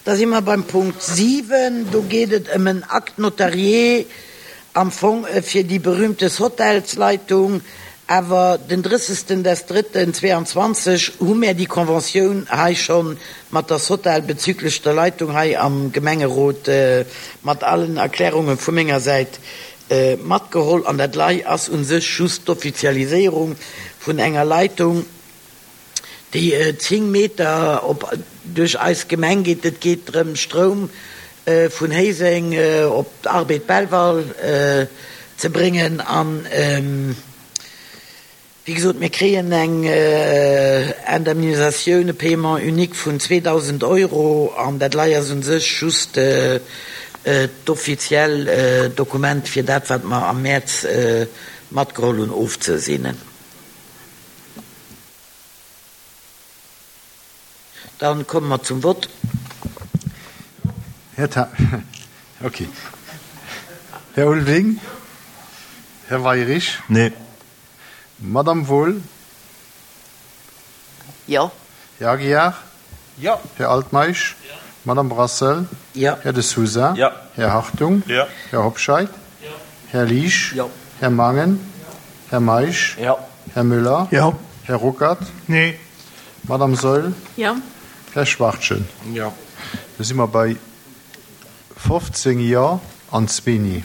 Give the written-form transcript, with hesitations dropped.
Da si mer beim Punkt 7. Do geet et ëm en Acte notarié am Fong fir déi berühmte Hotelsleitung. Awer den 30. des Drëtten 22 hu mär déi Conventioun hei scho mat der Sotel bezüglech der Leitung hei am Gemengerot mat allen Erklärunge vu menger Säit matgeholl. An dat lei ass u sech just d'Offizialiséierung vun enger Leitung, déi 10 Meter op duerch eis Gemeng geet. Et geet drëm, Stroum vun Héiseng op d'Arbed Belval ze bréngen. An, wéi gesot, mir kréien eng Indemnisatioun, e Paiement unique vun 2.000 Euro. An dat lei ass u sech just d'offiziell Dokument, fir dat, wat mer am Mäerz matgeholl hunn, ofzeseenen. Dann komme mer zum Vott. Här Ta okay. Här Ulveling? Här Weirich? Nee. Madame Wohl? Jo. Här Aguiar? Jo. Här Altmeisch? Jo. Madame Brassel? Jo. Här De Sousa? Jo. Här Hartung? Jo. Här Hobscheit? Jo. Här Liesch? Jo. Här Mangen? Här Meisch? Jo. Här Müller? Jo. Här Ruckert? Nee. Madame Saeul? Jo. Här Schwachtgen? Jo. Da si mer bei 15 Jo an zwee Nee.